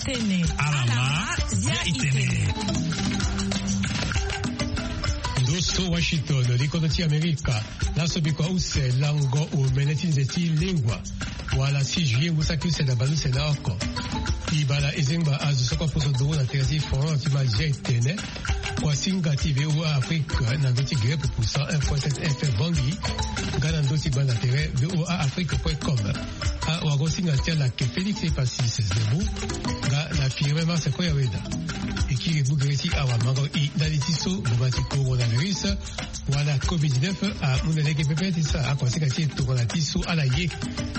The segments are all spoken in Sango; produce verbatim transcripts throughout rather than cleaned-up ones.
Tene ala ma zia itene. Ndo so Washington, likono ti Amerika. Laso bikua use lango omene ti nze ti lengua. Wala six juillet ngu saki use na baleuse na oko. Ibala ezengba azo so kue aposo nduru na tere ti France ti ma zia itene. Kuasinga ti V O A Afrique na ndö ti grippe poussant un point sept F M Bangui. Nga na ndö ti gbanda tere V O A Afrique point com. Awagosinga ti ala ke Félix Epasis Zebou. Nga na Firmin Marse Koyaweda. E kiri gbu gere ti awamango i ndali ti so ngbonga ti coronavirus wala covid dix-neuf amu na lege pepe ti sara akuasinga ti e tongana ti so ala ye.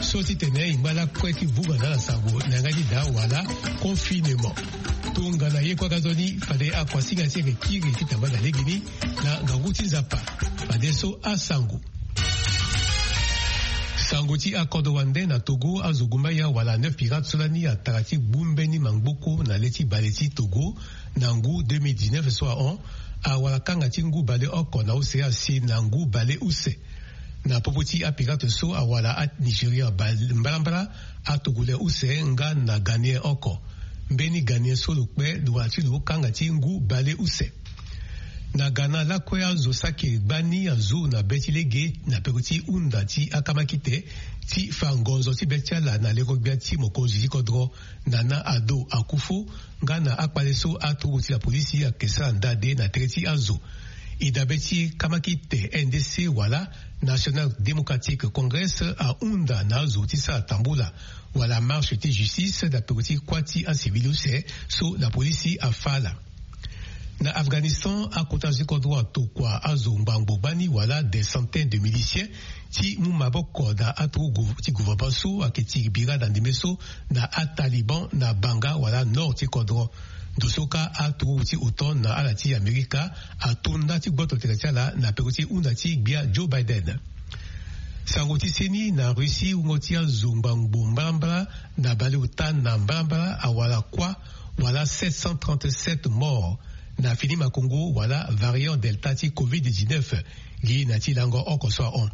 So titene e ngba lakue ti vunga na ala sango na yanga ti daa wala confinement. Tongana ye kue aga nzoni fade akuasinga ti e yeke kiri ti tamba na legeni na ngangu ti Nzapa. Fadeso asango. Sango ti akodro wande na Togo, azo gumbaya wala neuf pirates so lani atara ti gbu mbeni mangboko na le ti bale ti Togo na ngu deux mille dix-neuf so ahon. Awara kanga ti ngu bale oko na use asi na ngu bale use. Na popo ti apirate so awara a-Nigeria bale mbalambala, atogolais use nga na Ghanéen oko. Mbeni Ghanéen so lo kpe lo wara ti lo kanga ti ngu bale use. Na Ghana lakue azo saki gbani azo na be ti lege na peko ti hunda ti akamakite ti fa ngonzo ti be ti ala na leko gbia ti mokonzi ti kodro Nana Addo Akufo nga na akpale so aturugu ti lapolisi ayeke sara ndade na tere ti azo. E dabe ti kamakite N D C wala National Democratic Congress ahunda na azo ti sara tambula wala marche ti justice na peko ti kuâ ti acivil use so lapolisi afa ala. Na Afghanistan, akota azo ti kodro atokua azo ngbangbo gbani wala des centaines de miliciens ti mu maboko na aturugu ti gouvernement so ayeke tiri bira na ndembe so na aTaliban na Banga wala nord ti kodro. Ndo so kâ aturugu ti OTAN na ala ti Amerika ato nda ti gboto tene ti ala na peko ti hunda ti gbia Joe Biden. Sango ti seni na Russie, wungo ti azo ngbangbo mbalambala na baleota na mbalambala awara kuâ wala sept cent trente-sept morts na fini makongo wala variant Delta ti covid dix-neuf. Gi na ti lango oko so ahon.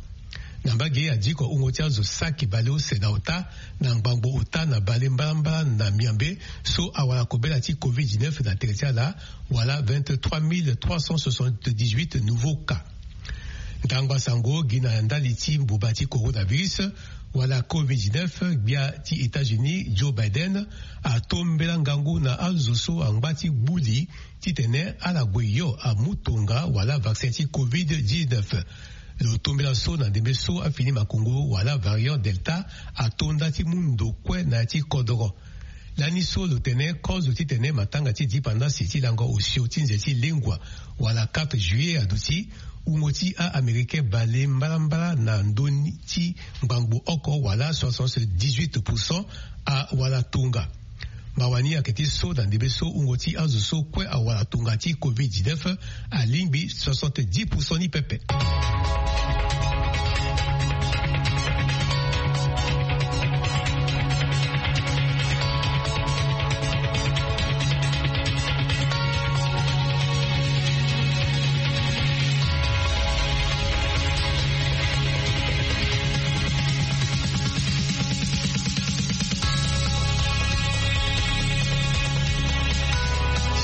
Na mbage adiko wungo ti azo saki baleuse na ota na ngbangbo ota na bale mbalambala na Miambe so awara kobela ti covid dix-neuf na tere ti ala wala vingt-trois mille trois cent soixante-dix-huit nouveaux cas. Ndangba sango gi na ndali ti mbuba ti coronavirus wala covid dix-neuf, gbia ti États-Unis Joe Biden atombela ngangu na azo so angba ti gbu li titene ala gue yo amu tonga wala vaccin ti covid dix-neuf. Lo tombela so na ndembe so afini makongo wala variant Delta ato nda ti mu ndo kue na ya ti kodoro. Lani so lo tene kozo titene matanga ti dipandasi ti lango osio ti nze ti lengua wala quatre juillet aduti, wungo ti a-Américain bale mbalambala na ndö ni ti ngbangbo oko wala soixante-dix-huit pour cent awara tonga. Mawa ni ayeke ti so na ndembe so wungo ti azo so kue awara tonga ti covid dix-neuf alingbi soixante-dix pour cent ni pepe.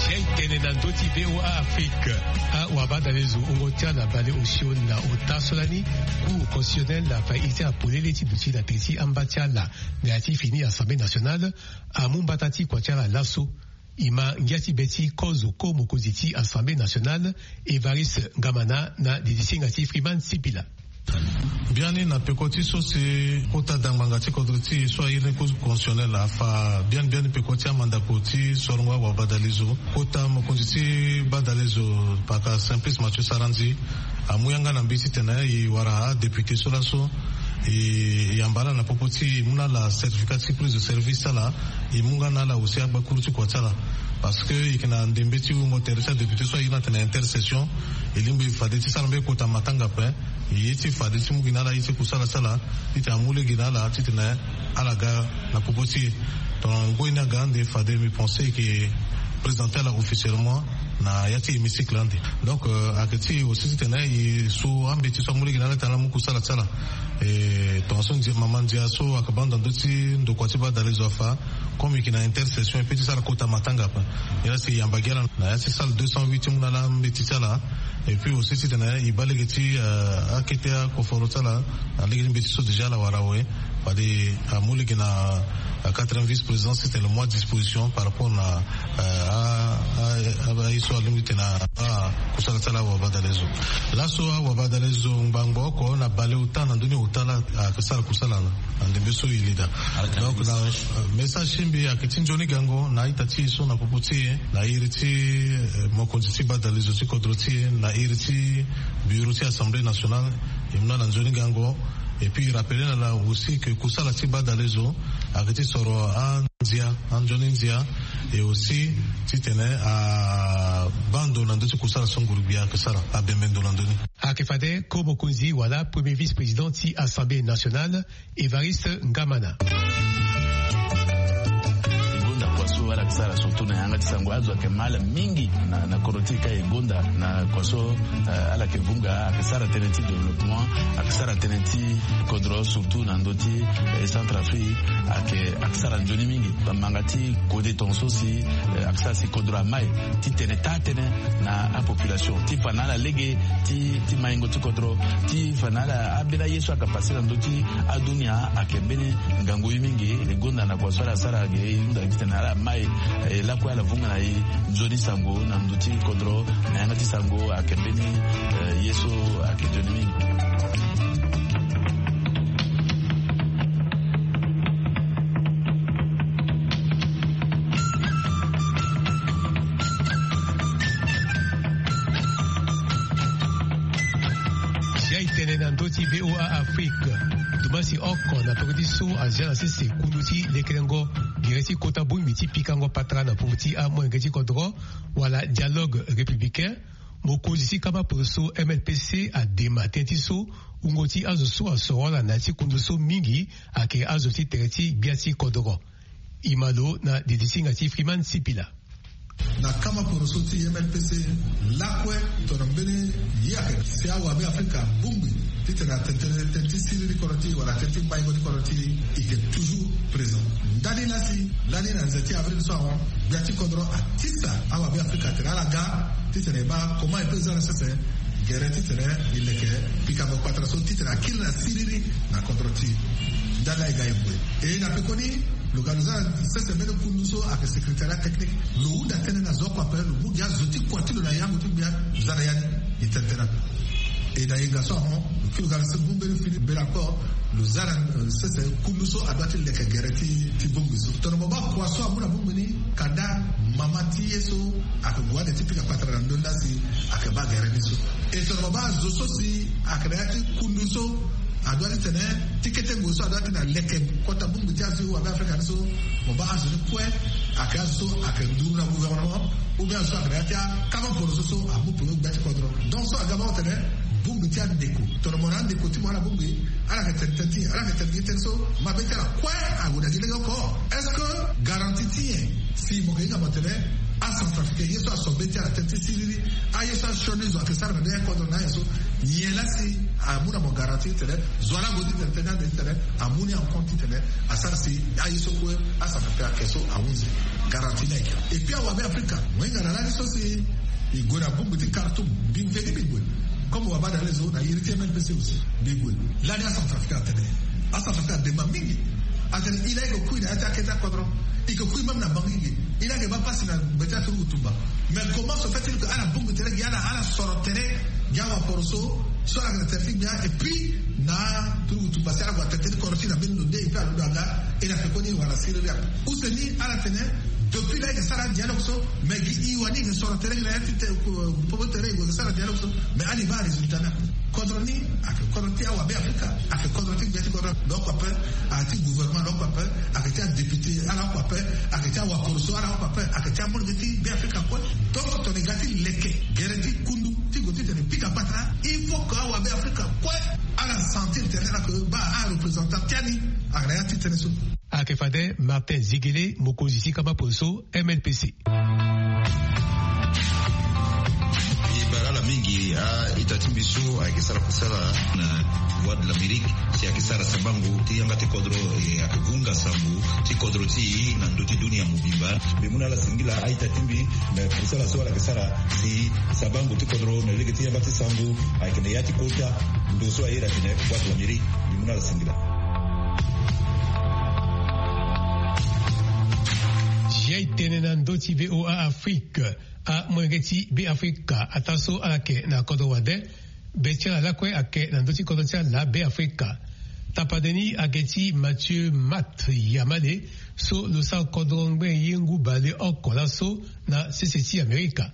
Sia e tene na ndö ti V O A Afrique. Awabadalezo wungo ti ala bale osio na ota so lani Cour constitutionnelle afa iri ti ala polele ti duti na tere ti amba ti ala na ya ti fini Assemblée nationale. Amu mbata ti kua ti ala laso. E ma ngia ti be ti kozo ko mokonzi ti Assemblée nationale, Évariste Ngamana, na didisinga ti Freeman Sipila. Biani na peko ti so si kota dangbanga ti kodro ti e so airi ni Cour constitutionnelle afa biani biani peko ti amandako ti sorongo awabadalezo. Kota mokonzi ti badalezo paka Simplice Mathieu Sarandji amu yanga na mbi titene e wara adéputé so laso e yamba ala na popo ti e mu na ala certificat ti prise de service ti ala. E mu nga na ala aussi agbakuru ti kua ti ala. Parce que e yeke na ndembe ti wungo tere ti adéputé so airi ni atene intercession. E lingbi fade ti sara mbeni kota matanga ape. E ye ti fade ti mu gi na ala ye ti kusala ti ala titene amu lege na ala titene ala ga na popo ti e. Donc ngoi ni aga ande fade mbi pense e yeke présenter ala officiellement. Na ya ti hémicycle ande. Donc ayeke ti aussi titene e so ambeti so amu lege na ala titene ala mu kusala ti ala. E tongaso ndia mama ndia so ayeke baa ndo na ndö ti ndokua ti badalezo afa. Comme e yeke na intercession e pe ti sara kota matanga ape. Nilaa si e yamba gi ala na ya ti salle deux cent huit ti mu na ala ambeti ti ala. Et puis aussi titene e baa lege ti akete akoforo ti ala. Alege ti mbeti so déjà ala wara awe. Fade amu lege na quatrième vice-présidence titene le mois disposition par rapport na aye so alingbi titene akusala ti ala awabadalezo. Laso awabadalezo ngbangbo oko na baleota na ndö ni ota laa ayeke sara kusala na ndembe so e lida. Donc na message ti mbi ayeke ti nzoni gango na a-ita ti e so na popo ti e na iri ti mokonzi ti badalezo ti kodro ti e na iri ti bureau ti assemblée nationale. E mu na ala nzoni gango. Et puis e rappeler na ala aussi ke kusala ti badalezo ayeke ti soro andia, anzoni ndia. Et aussi titene abaa ndo na ndö ti kusala so nguru-gbia ayeke sara, abembe ndo na ndö ni. Ayeke fade ko mokonzi wala premier vice-président ti assemblée nationale, Évariste Ngamana. E gonda kua so ala yeke sara surtout na yanga ti sango, azo ayeke ma ala mingi na, na kodro ti e ka e gonda na kua so ala yeke vunga, ayeke sara tënë ti développement, ayeke sara tënë ti kodro surtout na ndö ti Centrafrique. Ayeke, ayeke sara nzoni mingi. Bamanga ti kode tongaso si ayeke sara si kodro amai titene taa tënë na apopulation ti fa na ala lege ti, ti maingo ti kodro, ti fa na ala ambeni aye so ayeke pase na ndö ti adunia ayeke mbeni ngangu ye mingi. E gonda na kua so ala sara ge, e hunda titene ala mai, e lakue ala vunga na e nzoni sango na ndö ti kodro na yanga ti sango ayeke mbeni ye so ayeke nzoni mingi. Zia e tene na ndö ti VOA Afrique. Dumasi oko na peko ti so azia na sese kundu ti lekerengo gere ti kota bongbi ti pikango patara na popo ti amolenge ti kodro wala dialogue républicain. Mokonzi ti kama poroso M L P C adema tënë ti so wungo ti azo so asoro ala na ya ti kundu so mingi ayeke azo ti tere ti gbia ti kodro. E ma lo na didi ti hinga ti Freeman Sipila. Na kama poroso ti M L P C lakue, tongana mbeni ye ayeke si awabe Afrika abongbi titene atene tënë ti siriri kodro ti e wala tënë ti maingo ti kodro ti e, e yeke toujours présent. Ndani laa si lani na nze ti avril so ahon, gbia ti kodro atisa awabe Afrika atene ala ga titene e baa comment e peut za na sese gere titene e leke pikango patara so titene akiri na siriri na kodro ti e. Ndani laa e ga e gue. E na pekoni lo ga lo za na sese mbeni kundu so ayeke secrétariat technique. Lo hunda tënë na zo oko ape, lo mu gi azo ti kua ti lo na yango ti gbia lo za na ya ni. E tene tënë ape. E na yenga so ahon, lo kiri lo ga lo sese mu mbeni fini mbela kue. Lo za na sese kundu so adua ti leke gere ti, ti bongbi so. Tongana mo baa kua so amu na bongbi ni, kanda mama ti ye so ayeke gue ande ti pika patara na ndö ni laa si ayeke baa gere ni so. E tongana mo baa zo so si ayeke na ya ti kundu so adua ti tene ti kete ngoi so adua ti na leke kota bongbi ti azo ti wabe Afrika ni so, mo baa azo ni kue ayeke azo so ayeke nduru na gouvernement, ou bien azo so ayeke na ya ti akama poroso so amu peko gbia ti kodro. Donc so aga baa tene bongbi ti andeko, tongana mo na andeko ti mo ala bongbi, ala yeke tene tënë ti ala yeke tene gi tënë so mabe ti ala kue ague na gi lege oko. Est-ce que garantie ti nyen si mo yeke hinga mo tene aCentrafricain ye so aso be ti ala tënë ti siriri, aye so asioni zo ayeke sara na ndö ya kodro na aye so, nyen laa si amu na mo garantie titene zo wala ague ti tene tënë ande titene amu ni en compte titene asara si aye so kue aCentrafricain ayeke so ahunzi. Garantie ni ayeke. Et puis awabe Afrika mo hinga na lani so si e gue na bongbi ti Khartoum, mbi mveni mbi gue. Comme wabadalezo na iri ti M L P C aussi mbi gue. Lani aCentrafricain atene, aCentrafricain adema mingi. Atene e laa e ke kui na ya ti akete akodro, e ke kui même na Bangui ge. E laa e ke baa pasi na gbe ti aturugu tumba. Mais comment se fait-il que ala bongbi tere gi ala, ala soro tere gi awaporoso so ala yeke na tere ti gbia, et puis na aturugu tumba si ala gue na tere ti kodro ti e na mbeni lo nde, et puis alondo aga. E na pekoni e wara siriri ape. Use ni ala tene depuis laa e yeke sara adialogue so, mais gi e wani e yeke soro tere gi na ya ti te, popo tere e gue e yeke sara adialogue so, mais ala e baa arésultat ni ape. Kodro ni ayeke kodro ti awabe Afrika, ayeke kodro ti gbia ti kodro. Lo oko ape ayeke ti gouvernement, lo oko ape ayeke ti adéputé, ala oko ape ayeke ti awaporoso, ala oko ape ayeke ti amolenge ti be Afrika kue. Donc tongana e ga ti leke gere ti kundu ti gue titene e pika patara, il faut que awabe Afrika kue ala sentir tene ala yeke baa areprésentant ti ani ayeke na ya ti tënë so. Ayeke fade Martin Zigele, mokonzi ti kama poroso M L P C. Mingi a-ita ti mbi so ayeke sara kusala na Voix de l'Amérique, si ayeke sara sabango ti yanga ti kodro, e ayeke hunga sango ti kodro ti e na ndö ti dunia mobimba. Mbi mu na ala singila a-ita ti mbi na kusala so ala yeke sara si sabango ti kodro na lege ti yanga ti sango ayeke na ya ti kota. Ndo so aye na tene Voix de l'Amérique, mbi mu na ala singila. Jai tene na ndö ti V O A Afrique. Amolenge ti Beafrika, ataa so ala yeke na kodro wande, be ti ala lakue ayeke na ndö ti kodro ti ala Beafrika. Tapande ni ayeke ti Mathieu Mat Yamale, so lo sara kodro ngbene ye ngu baleoko laso na sese ti Amerika.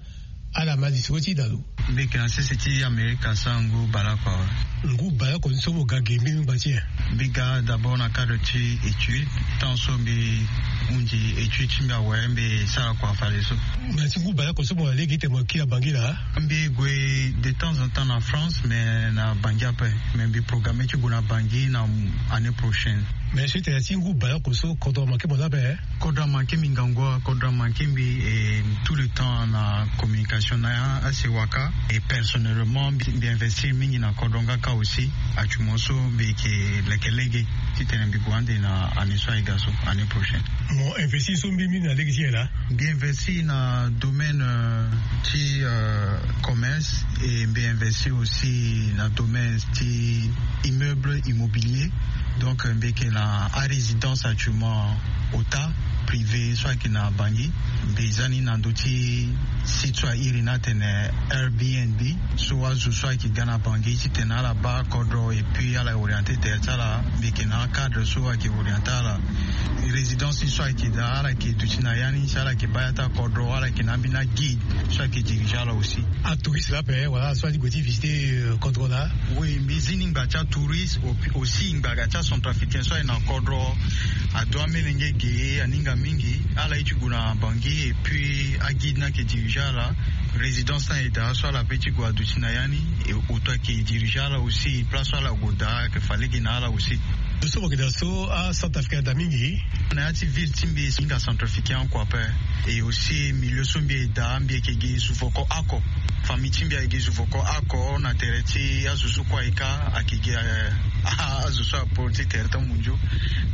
Ala ma lisoro ti da lo. Mbi yeke na sese ti Amerika sara ngu baleoko awe. Ngu baleoko ni so mo ga ge mbeni ngba ti e? Mbi ga d'abord na cadre ti étude, tant so mbi hundi étude ti mbi awe, mbi sara kua fade so. Na ti ngu baleoko so mo na lege ti tene mo kiri na Bangui laa? Mbi gue de temps en temps na France, mais na Bangui ape. Mais mbi programme ti gue na Bangui na année prochaine. Mais so e tene na ti ngu baleoko so, kodro amanke mo laa ape? Kodro amanke mbi ngangu wa, kodro amanke mbi, et tout le temps na communication na asewa kâ. Et personnellement, mbi, mbi investir mingi na kodro nga kâ aussi. Actuellement so mbi yeke leke lege ti tene mbi gue ande na année so aye ga so, année prochaine. Mo investir so mbeni mbeni na lege ti nyen laa? Mbi investir na domaine, euh, ti, euh, commerce, et mbi investir aussi na domaine ti immeuble immobilier. Donc, euh, mbi yeke na arésidence actuellement, ota privé so ayeke na Bangui. Mbi za ni na ndö ti site so a iri ni atene Airbnb. So azo so ayeke ga na Bangui ti tene ala baa kodro et puis ala orienté terre ti ala, mbi yeke na acadre so ayeke orienté ala. Résidence ni so ayeke daa, ala yeke duti na ya ni si ala yeke baa ya ti akodro, ala yeke na ambeni aguide so ayeke dirigé ala aussi. Atouriste laa ape wala so ali gue ti visiter, euh, kodro laa? Oui, mbi zi ni ngba ti atouriste, au-, aussi ngba ga ti acentrafricain so aye na kodro. Ado amolenge ge, aninga mingi. Ala ye ti gue na Bangui et puis aguide ni ayeke dirigé ala. Résidence ni aye daa so ala peut ti gue aduti na ya ni, et oto ayeke dirigé ala aussi, place so ala gue daa ayeke fa lege na ala aussi. Lo so mo yeke daa so, acentrafricain ada mingi. Na ya ti ville ti mbi, e hinga centrafricain oko ape. Et aussi milieu so mbi ye daa, mbi yeke gi zuvoko oko. Famille ti mbi ayeke gi zuvoko oko na tere ti azo so kue aye kâ, ayeke gi, eh, azo so aporo ti tere ti amundio.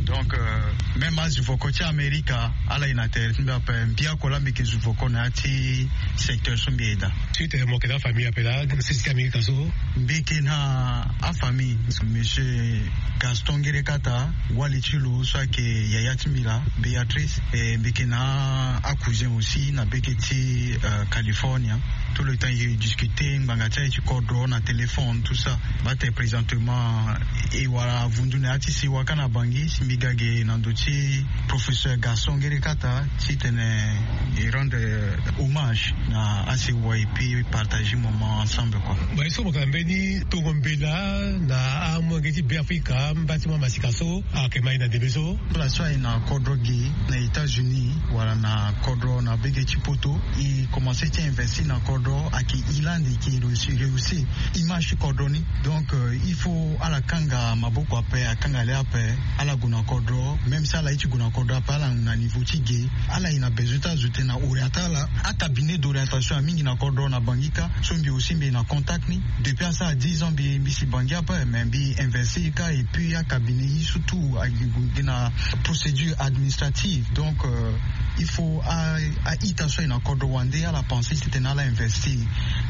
Donc, euh, même azuvoko ti Amerika, ala ye na tere ti mbi ape. Mbi oko laa mbi yeke zuvoko na ya ti secteur so mbi ye daa. Suite, eh, mo yeke na afamille ape laa, sese ti Amerika so? Mbi yeke na afamille, monsieur Gaston Ngerekata, wali ti lo so ayeke yaya ti mbi laa, Béatrice, et mbi yeke na acousin aussi na beke ti, euh, California. Tout le temps e discuter ngbanga ti aye ti kodro na téléphone, tout ça. Bate présentement e wara avundu na ya ti sewa kâ na Bangui, si mbi ga ge na ndö ti professeur Gaston Ngerekata, ti tene e rendre hommage na asewa et puis partager moment ensemble, quoi. Mo ye so mo yeke na mbeni tongo mbela na amolenge ti Beafrika, mba ti mo amasika so ayeke ma e na ndembe so. Ala so aye na kodro ge na États-Unis wala na kodro na bege ti poto, e commencé ti investir na kodro, ayeke e lani e yeke réussi, réussi image ti kodro ni. Donc, euh, il faut ala kanga maboko ape, akanga le ape, ala gue na kodro, même si ala ye ti gue na kodro ape, ala na niveau ti ge, ala ye na besoin ti azo tene na orienté ala. Acabinet d'orientation amingi na kodro na Bangui kâ, so mbi aussi mbi ye na contact ni. Depuis asara dix ans mbi, mbi si Bangui ape, mais mbi investir kâ, et puis acabinet ye surtout ayeke gue na procédure administrative. Donc, euh, il faut a, a-ita so aye na kodro wande ala pensé ti tene ala investir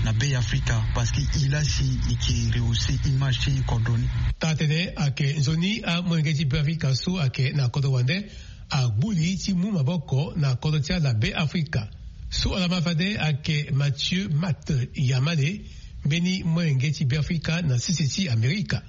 na Beafrika, parce que e laa si e yeke rehausser image ti kodro ni. Taa-tënë ayeke nzoni amolenge ti Beafrika so ayeke na kodro wande agbu li ti mu maboko na kodro ti ala Beafrika. So ala ma fade ayeke Mathieu Mat Yamale, mbeni molenge ti Beafrika na sese ti Amerika.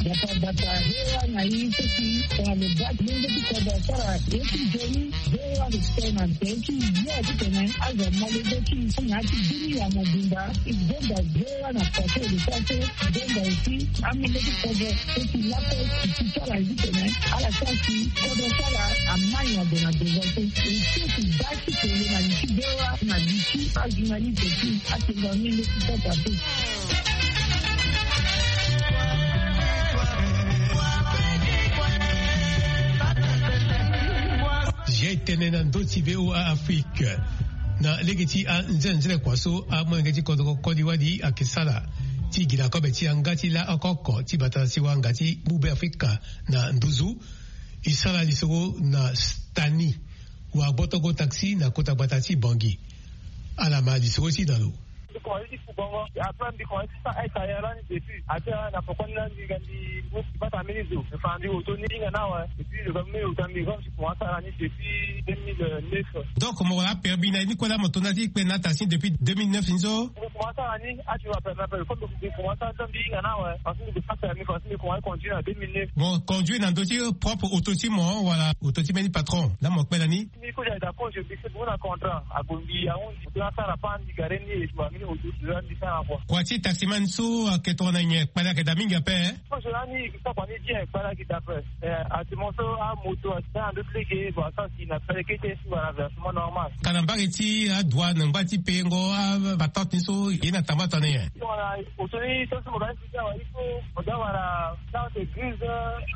Bata bata, V O A na e seki tongana lo baa ti lenge ti kodro asara ye ti nzoni. V O A lo tene na tere ti ya ti tene azo amolenge ti e na ya ti dunia mobimba. E gonda V O A na façon e lo sara so, e gonda aussi amolenge ti kodro so si lakue e si ti ala ye ti tene ala sara si kodro ti ala amai na gue na devant so. E so si baa ti tene na li ti V O A na li ti ajournaliste ti atengo amolenge ti kodro ape. Jai tënë na ndö ti V O A Afrique. Na lege ti anzenze kua so amolenge ti kodro koli wali ayeke sara ti gi na kobe ti yanga ti la oko oko ti bata na siwa nga ti mu be afrika na nduzu. E sara lisoro na stani wa gbotongo taxi na kota gbata ti bangi. Ala ma lisoro ti na lo. Mbi komanse ti fu bongo. Après mbi komanse ti sara aide carrière lani depuis. Ate na poko ni lani mbi ga mbi bata mbeni zo. Enfin mbi oto ni hinga na awe. Et puis lo ga mbeni oto mbi ga mbi komanse sara ni depuis deux mille neuf. Donc mo wara apermis na ye ni kue la mo to na ti kpe na taxi depuis deux mille neuf ni so? Mbi komanse sara ni ati wa permis ape comme mbi komanse sara ni so mbi hinga na awe. Parce que mbi komanse sara ni parce que mbi komanse conduire na deux mille neuf. Mo conduire na ndö ti propre oto ti mo wala oto ti mbeni patron la mo kpe na ni? Mbi kue ayeke daa kozo mbi se bungu na contrat ague mbi ahunzi mbi asara pan mbi gare ni e tu amini oto ti lo la mbi sara kua. Kua ti taximan so ayeke tongana nyen kpale ayeke daa mingi ape? Kozo lani e ke sara kua ni bien kpale ayeke daa ape. Eh, ati mo so amoto ati sara na ndö ti lege bon asara si na pele kete si wala versement normal. Ka na mbage ti adouane ngba ti pengo apatente ni so ye na tamba tongana nyen? Tongana oto ni so so mo ga ni si ti awa il faut mo ga wala carte grise,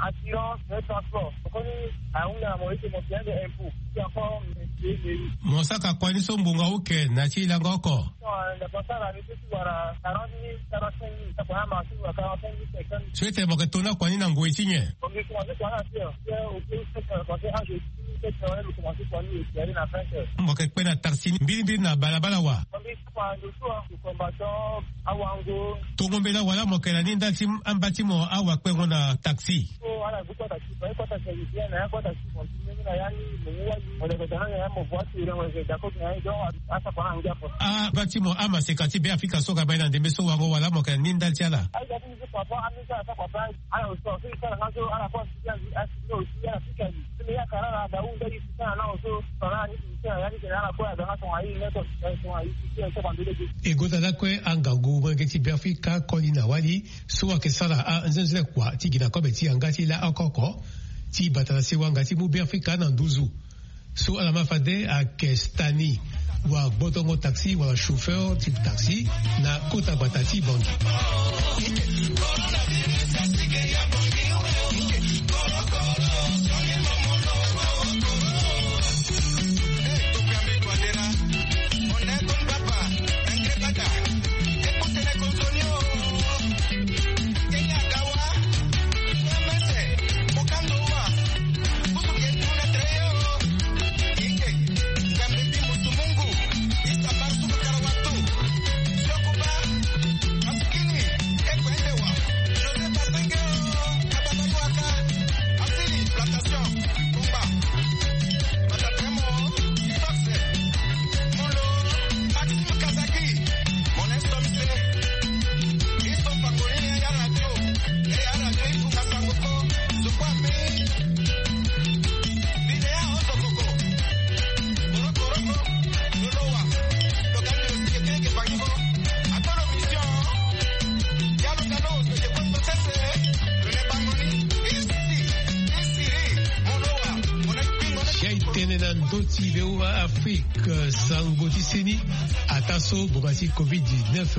assurance, transport. Koni ahunda na mo ete mo pia nde impôt ti encore. Mo saka kua ni so ngbonga oke na ti lango oko? So ete mo yeke to na kua ni na ngoi ti nyen? Mo yeke kpe na taxi mbirimbiri na balabala wa? Tongo mbela wala mo yeke na ni ndali ti amba ti mo awa kpengo na taxi? Amba ti mo amaseka ti be afrika so ga baa ye na ndembe so wango wala mo yeke na ni ndali ti ala? E gota lakue angangu molenge ti be afrika koli na wali so ayeke sara anzenze kua ti gi na kobe ti yanga ti la oko oko ti bata na sewa nga ti mu be afrika na nduzu. So ala ma fade ayeke stani wa gbotongo taxi wala chauffeur ti taxi na kota gbata ti bangi. Tene na ndö ti V O A Afrique, sango ti seni, ata so ngonga ti covid dix-neuf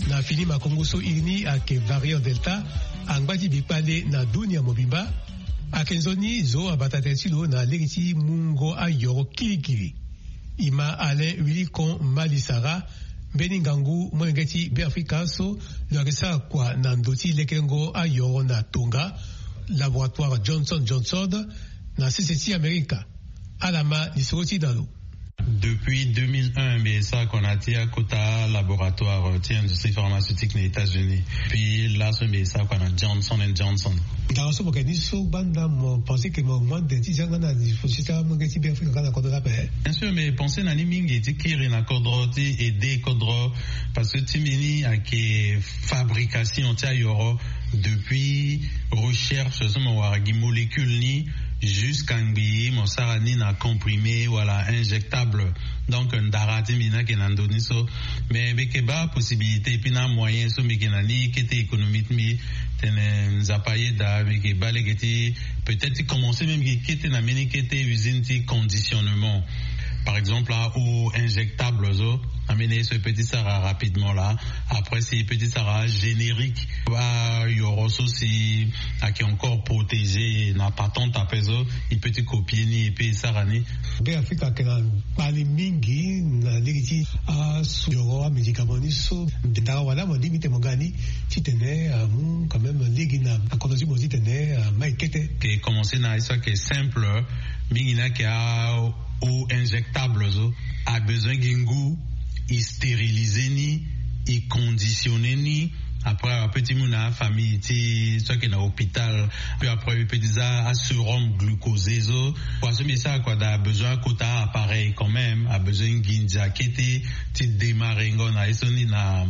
na fini makongo so iri ni ayeke variant delta, angba ti bikpale na dunia mobimba. Ayeke nzoni zo abata tene ti lo na lege ti mungo ayoro kirikiri. E ma Alain Willicon Malisara, mbeni ngangu molenge ti Beafrika so lo yeke sara kua na ndo ti lekerengo ayoro na tonga, laboratoire Johnson Johnson, na sese ti Amerika. Ala ma lisoro ti da lo. Depuis deux mille un mbi sara kua na ti akota laboratoire ti industrie pharmaceutique na États-Unis. Puis laso mbi sara kua na Johnson and Johnson. Ndara so mo yeke ni so gbanda mo pense ke mo mu ande ti zia nga na lifusi ti amolenge ti Beafrika nga na kodro ni ape? Bien sûr, mbi pense na ni mingi ti kiri na kodro ti aider kodro. Parce que ti mbi ni ayeke fabrication ti ayoro, depuis recherche so mo wara gi molécule ni jusqu'à ngbii mo sara ni na comprimé wala injectable. Donc ndara ti mbi ni ayeke na ndö ni so. Mais mbi yeke baa possibilité et puis na amoyen so mbi yeke na ni kete économie ti mbi. Tene Nzapa ayeda mbi yeke baa lege ti peut-être ti commencer même gi kete na mbeni kete usine ti conditionnement, par exemple a eau injectable so. Mene so e peut ti sara rapidement la. Après si e peut ti sara générique, ayoro so si ake encore protégé na patente ape so, e peut ti copier ni e peut e sara ni. Be afrika ake na kpali mingi na lege ti asu yoro amédicament ni so. Ndara wala mo limi te mo ga ni titene amu quand même lege na akono ti mo titene ama e kete. Ke commencer na ye so ake simple mingi ni ake a eau injectable so. Abesoin gi ngu, e stériliser ni, e conditionner ni. Après ape ti mu na afamille ti so ake na hôpital. Puis après e peut ti za asérum glucosé so. Kua so mbi sara kua daa abesoin akota appareil quand même, abesoin nginza kete ti démarrer ngo na ye so ni na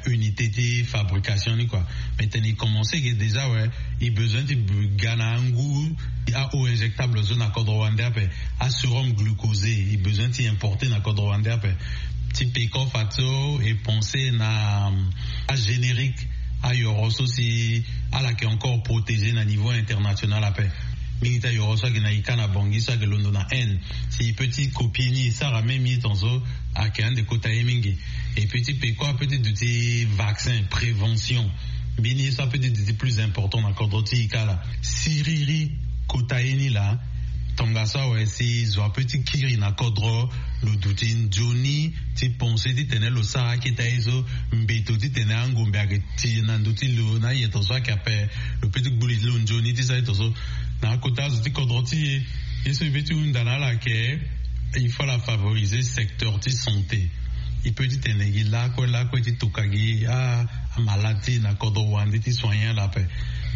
unité ti fabrication ni kua. Mais tene e commencer ke déjà we, e besoin ti ga na angu a eau injectable so na kodro wande ape. Asérum glucosé e besoin ti importer na kodro wande ape. Ti peko fa so e penser na agénérique, ayoro so si ala ke encore protégé na niveau international ape. Mingi ti ayoro so ake na ika na bongi so ake londo na haine, si e peut ti copier ni e sara même ye ton so, ake ande kota ye mingi. Et puis ti peko ape ti duti vaccin prévention, mbeni ye so ape ti duti plus important na kodro ti ika la. Siriri kota ye ni la. Tongaso awe si zo ape ti kiri na kodro, lo duti nzoni ti penser titene lo sara aketa ye so. Mbeto titene angombe ake ti na ndo ti lo na aye ton so ake ape, lo peut ti gbu li ti lo nzoni ti sara ye ton so. Na akota zo ti kodro ti e, ye so e peut ti hunda na ala ake, il faut ala favoriser secteur ti santé. E peut ti tene gi lakue lakue ti toka gi amalade ti e na kodro wande ti soigner ala ape.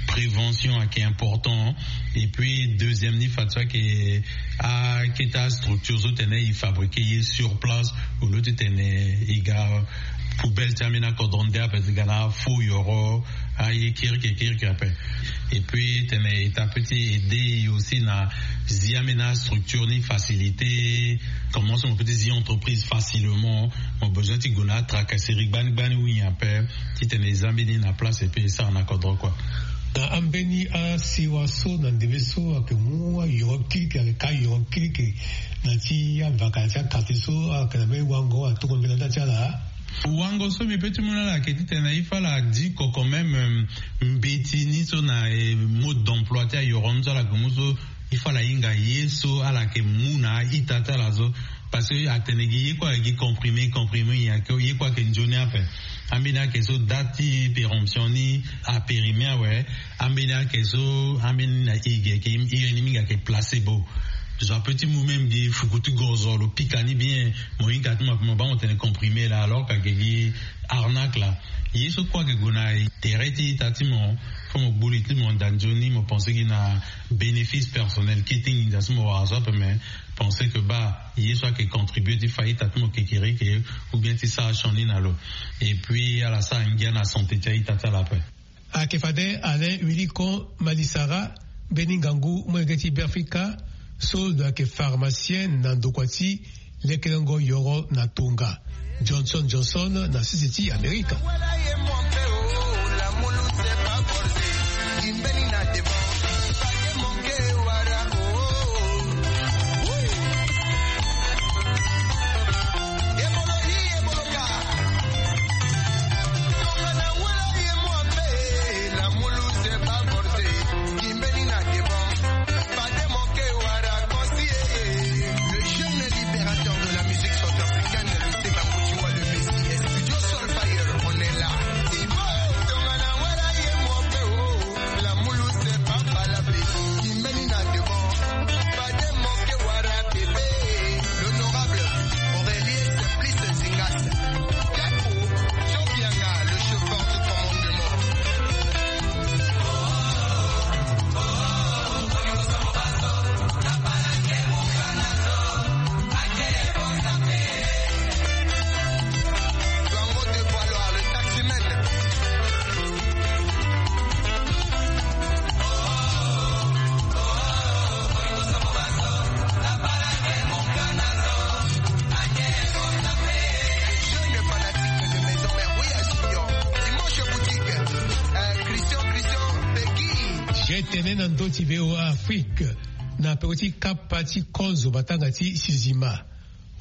Prévention ake important. Et puis deuxième ni fa so ake aketa structure so tene e fabriquer ye sur place, au lieu ti tene e ga poubelle ti ambeni akodro nde ape ti ga na faux yoro, aye kirikiri kirikiri ape. Et puis tene e ta peut ti aider e aussi na zi ambeni astructure ni facilité. Comment so mo peut ti zi entreprise facilement, mo besoin ti gue na atracasserie gbani gbani ou nyen ape. Titene e za mbeni na place et puis e sara na kodro kua. Na ambeni asiwa so na ndembe so ake mu ayoro kirikiri, ake ka yoro kirikiri na ti avaka na ti akartier so, ake na mbeni wango atongo mbela nda ti ala. Wango so mbi peut ti mu na ala ake titene il faut ala diko quand même mbeti ni so na mode d'emploi ti ayoro ni so ala gue mu so. Il faut ala hinga ye so ala yeke mu na a-ita ti ala so. Parce que atene gi ye kue ayeke gi comprimé, comprimé nyen ayeke, ye kue ayeke nzoni ape. Ambeni ayeke so date ti péremption ni apérimé awe. Ambeni ayeke so, ambeni na e gi ayeke iri ni mingi ayeke placebo. Zo apeut ti mu même gi fuku ti gozo lo pika ni bien, mo hinga ti mo ape mo baa mo tene comprimé laa alors que ayeke gi arnaque laa. Ye so kue ayeke gue na tere ti ita ti mo. Fo mo gbu li ti mo nda nzoni mo pensé gi na bénéfice personnel kete nginza so mo wara so ape mais pensé que baa ye so ayeke contribué ti fa ita ti mo kekereke ou bien ti sara sioni na lo. Et puis ala sara ngia na santé ti a-ita ti ala ape. Ayeke fade Alain Willy Kon Malisara, mbeni ngangu molenge ti Beafrika so lo yeke pharmacien na ndokua ti lekelengo yoro na tonga. Johnson Johnson na sese ti Amerika. Le jeune libérateur de la musique centrafricaine, le Seba Moutoua, le Messie, Studio Soulfire, on est là. Il faut Tongana Wala ye Mopeo, la Moulouse, Papa la Bébé, Kimeni na devant, pas de manquer Wara bébé, l'honorable Aurélie Simplice Zingas, Jaco, Jean Bianga, le chauffeur du commandement. Tene na ndö ti V O A Afrique na peko ti kapa ti konzo matanga ti sizima.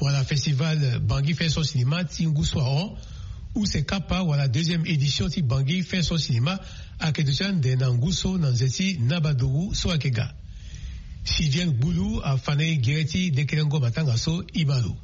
Wala festival Bangui Fait Son Cinéma ti ngu so ahon. Use kapa wala deuxième édition ti Bangui Fait Son Cinéma ayeke duti ande na ngu so na nze ti Nabaduru so ayeke ga. Sidien Gbulu afa na e gere ti lekelengo matanga so. E baa lo.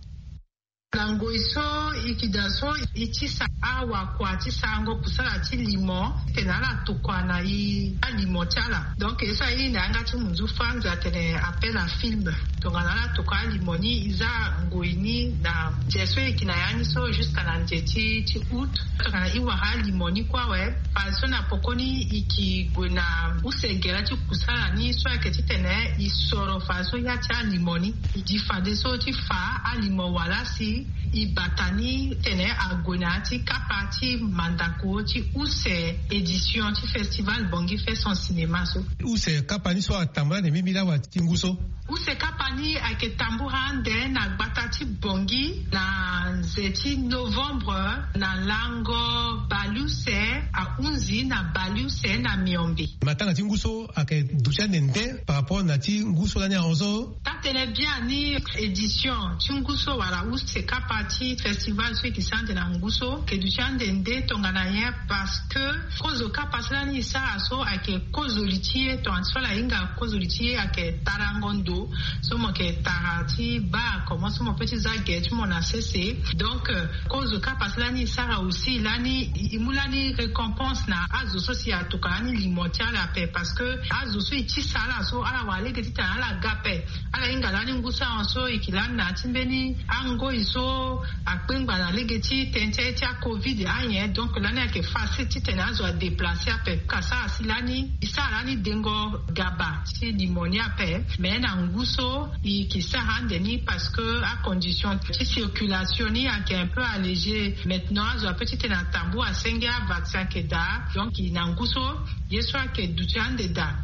Na ngoi so e yeke daa so e tisa awakua ti sarango kusala ti limo titene ala tokua na e alimo ti ala. Donc e so aye na yanga ti munzu Franz atene appel à film. Tongana ala tokua alimo ni, e za ngoi ni na nze so e yeke na ya ni so jusqu'à na nze ti ti août. Tongana e wara alimo ni kue awe, fadeso na pokoni e yeke gue na use gere ti kusala ni so ayeke titene e soro fadeso ya ti alimo ni. E di fadeso ti fa alimo wala si e bata ni titene ague na ya ti kapa ti mandako ti use édition ti festival Bangui Fait Son Cinéma so. Use kapa ni so atambula ande mbirimbiri awa ti ngu so? Use kapa ni ayeke tambula ande na gbata ti Bangui na nze ti novembre na lango baleuse ahunzi na baleuse na miombe. Matanga ti ngu so ayeke duti ande nde par rapport na ti ngu so lani ahon so? Taa tene bien ni édition ti ngu so wala use kapa ti festival so e yeke sara ande na ngu so ayeke duti ande nde tongana nyen? Parce que kozo kapa so lani e sara so ayeke kozo li ti e, tongana ti so ala hinga kozo li ti e ayeke tarango ndo so mo yeke tara ti baa comment so mo peut ti za gere ti mo na sese. Donc euh, kozo kapa so lani e sara aussi lani e mu lani récompense na azo so si atokua lani limo ti ala ape, parce que azo so e tisa ala so ala wara lege titene ala ga ape. Ala hinga lani ngu so ahon so e yeke lani na ya ti mbeni angoi so akpengba na lege ti tene ti aye ti acovid anyen. Donc lani ayeke facile titene azo adéplacer ape. Ka sara si lani e sara lani dengo gaba ti limo ni ape. Mais na ngu so e yeke sara ande ni parce que acondition ti circulation ni ayeke un peu allégé. Maintenant azo ape titene atambula asenge avaccin ayeke daa. Donc na ngu so ye so ayeke duti ande daa.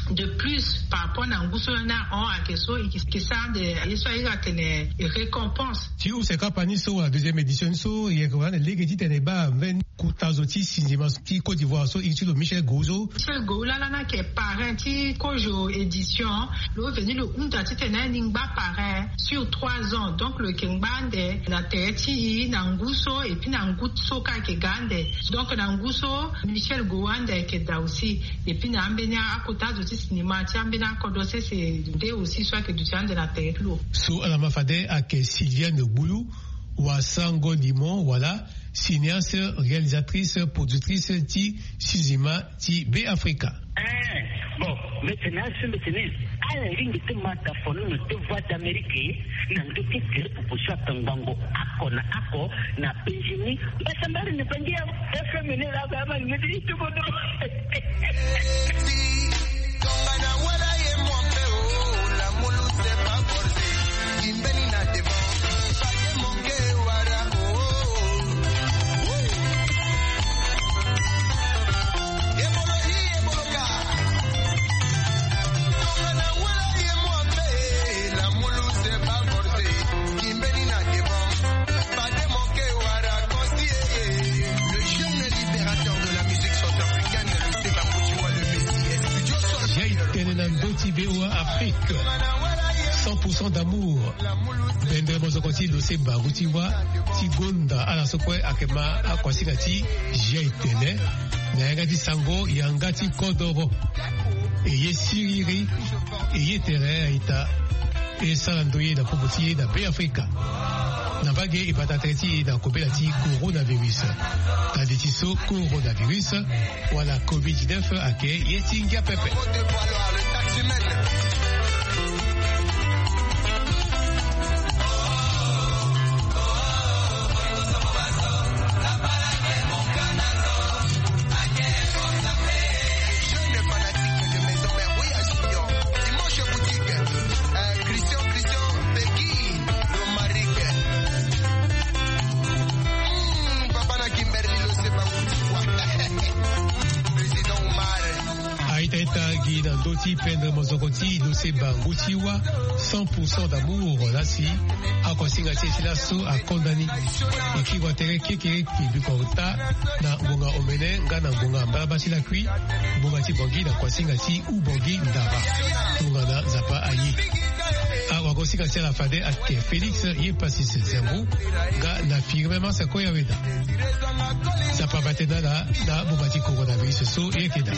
De plus par rapport na ngu so lani ahon ayeke so e yeke sara ande ye so aye atene récompense. Ti use kapa ni so wala deuxième édition ni so e yeke wara ande lege titene e baa mbeni kota zo ti sinzima ti Côte d'Ivoire so e ti lo Michel Gouzo. Michel Gouzo lani ayeke parrain ti kozo édition. Lo veni lo hunda titene ni ngba parrain sur trois ans. Donc lo yeke ngba ande na tere ti e na ngu so et puis na ngu so kâ ayeke ga ande. Donc na ngu so Michel Gouzo ande ayeke daa aussi. Et puis na ambeni akota zo ti sinima ti ambeni akodro sese nde aussi so ayeke duti ande na tere ti lo. So ala ma fade ayeke Sylviane Gbulu, wasango limo wala cinéaste réalisatrice productrice ti sinzima ti Beafrika. Eh, bon, mbi tene asi mbi tene ala ringi ti ma dafono na deux voix d'Amérique na ndö ti tere proposition atangbango ako na ako na Benjamin. Mbasambari ni bangi ya F M ni la ba ma ni ti tuko do. Tongana wala ye mo mpe o, la mulu c'est pas forcé. Kimbeni na devant. Pas de manquer wala o. Ebolo hi, ebolo ka. Tongana wala ye mo mpe, la mulu c'est pas forcé. Kimbeni na devant. Pas de manquer wala. Le jeune libérateur de la musique centrafricaine, le Seba Koutoua, le Messie, studio Sol. Jai tene na ndö ti V O A Afrique. Cent pour cent d'amour. Bendre mozoko ti lo Seba Koutoua ti gonda ala so kue ayeke ma akuasinga ti Jai tene na yanga ti sango yanga ti kodoro. E ye siriri, e ye tere a-ita. E sara ndoye na popo ti e na Beafrika. Na mbage e bata tere ti e na kobela ti coronavirus. Tali ti so coronavirus wala covid dix-neuf ayeke ye ti ngia pepe. Jeune fanatique de Maison Mère, oui, à Junior. Dimanche boutique. Euh, Christian, Christian, Peggy, Romaric. Hmm, papa na Kimberly, lo Seba Koutoua. Président Omar. A-ita-ita gi na ndö ti pendre mozoko ti lo Seba ngu ti wa cent pour cent d'amour la si akuasinga ti e ti laso akonda ni. E kiri wa tere kekereke biko ota na ngonga omene nga na ngonga mbalaba ti lakui. Ngonga ti bongi na kuasinga ti u bongi ndara. Tongana Nzapa aye. Awagosinga ti ala fade ake Félix ye Pasis Zembo nga na firme masa koya weda. Nzapa bate na ala na boma ti coronavirus so ye keda.